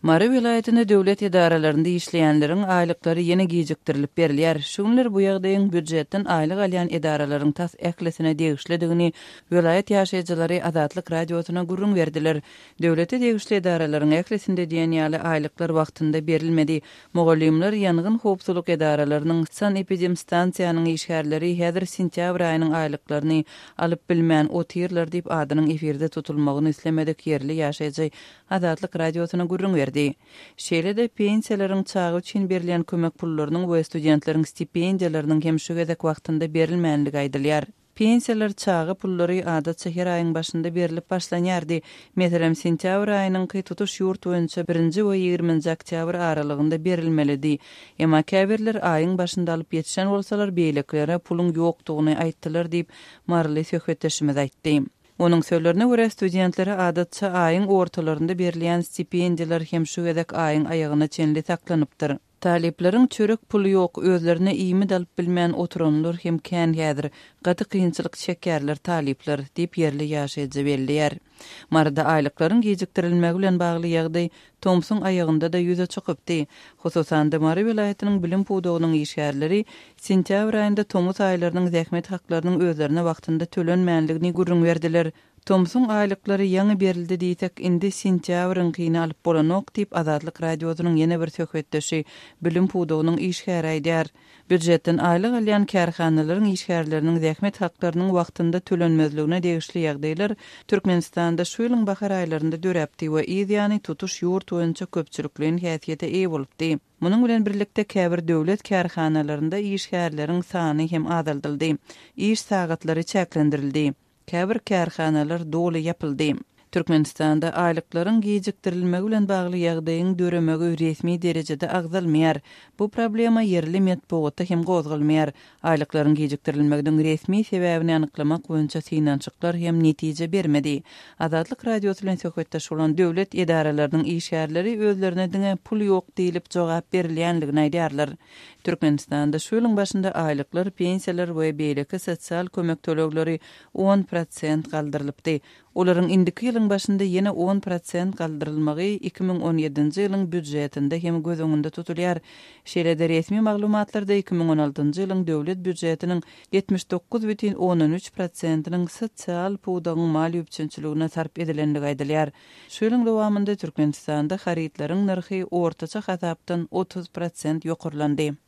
Mary welaýatynda döwlet edaralarynda işleýänleriň aýlyklary ýene gijikdirilip berilýär. Şu günler bu ýagdaýyň býujetden aýlyk alýan edaralaryň tas ählisine degişlidigini welaýat ýaşaýjylary Azatlyk Radiosyna gürrüň berdiler. Döwlete degişli edaralaryň ählisinde diýen ýaly aýlyklar wagtynda berilmedi. Mugallymlar, ýangyn howpsuzlyk edaralarynyň, sanepidemstansiýanyň işgärleri häzir sentýabr aýynyň aýlyklaryny alyp bilmän otyrlar diýip, adynyň efirde tutulmagyny islemedik ýerli ýaşaýjy Azatlyk Radiosyna gürrüň berdi. Şeýle-de, pensiýalaryň, çaga üçin berilýän kömek pullarynyň we studentleriň stipendiýalarynyň hem şu gezek wagtynda berilmänligi aýdylýar. Pensiýalar, çaga pullary adatça her aýyň başynda berlip başlanýardy. Meselem, sentýabr aýynyňky tutuş ýurt boýunça birinji we ýigriminji oktýabr aralygynda berilmelidi. Emma käbirler aýyň başynda alyp ýetişen bolsalar, beýlekilere puluň ýokdugyny aýtdylar diýip, maryly söhbetdeşimiz aýtdy. Onuň sözlerine görä, studentlere adatça aýyň ortalarynda berilýän stipendiýalar hem şu gezek aýyň aýagyna çenli saklanypdyr. Talyplaryň çörek puly ýok, özlerine iýmit alyp bilmän oturanlar hem kän häzir. Gaty kynçylyk çekýärler talyplar, diýip, ýerli ýaşaýjy belleýär. Maryda aýlyklaryň gijikdirilmegi bilen bagly ýagdaý tomsuň aýagynda-da ýüze çykypdy. Hususan-da, Mary welaýatynyň bilim pudagynyň işgärleri sentýabr aýynda tomus aýlarynyň zähmet haklarynyň özlerine wagtynda tölenmänligini gürrüň berdiler. Tomsuň aýlyklary ýaňy berildi diýsek, indi sentýabryňkyny alyp bolanok diýip, Azatlyk Radiosynyň ýene bir söhbetdeşi, bilim pudagynyň işgäri aýdýar. Býujetden aýlyk alýan kärhanalaryň işgärleriniň zähmet haklarynyň wagtynda tölenmezligine degişli ýagdaýlar Türkmenistanda şu ýylyň bahar aýlarynda döräpdi we yz ýany tutuş ýurt boýunça köpçülikleýin häsiýete eýe bolupdy. Munuň bilen birlikde käbir döwlet kärhanalarynda işgärleriň sany hem azaldyldy, iş sagatlary çäklendirildi. Käbir kärhanalar doly ýapyldy. Türkmenistanda aýlyklaryň gijikdirilmegi bilen bagly ýagdaýyň döremegi resmi derejede agzalmaýar. Bu problema ýerli metbugatda hem gozgalmaýar. Aýlyklaryň gijikdirilmeginiň resmi sebäbini anyklamak boýunça synanyşyklar hem netije bermedi. Azatlyk Radiosy bilen söhbetdeş bolan döwlet edaralarynyň işgärleri özlerine diňe pul ýok diýlip jogap berilýänligini aýdýarlar. Türkmenistanda şu ýylyň başynda aýlyklar, pensiýalar we beýleki sosial kömek tölegleri 10% galdyrylypdy. Olaryň indiki ýylyň başynda ýene 10% galdyrylmagy 2017-nji ýylyň býujetinde hem göz öňünde tutulýar. Şeýle-de resmi maglumatlarda 2016-njy ýylyň döwlet býujetiniň 79,3 prosentiniň sosial pudagyň maliýe üpjünçiligine sarp edilendigi aýdylýar. Şu ýylyň dowamynda Türkmenistanda harytlaryň nyrhy ortaça hasapdan 30% ýokarlandy.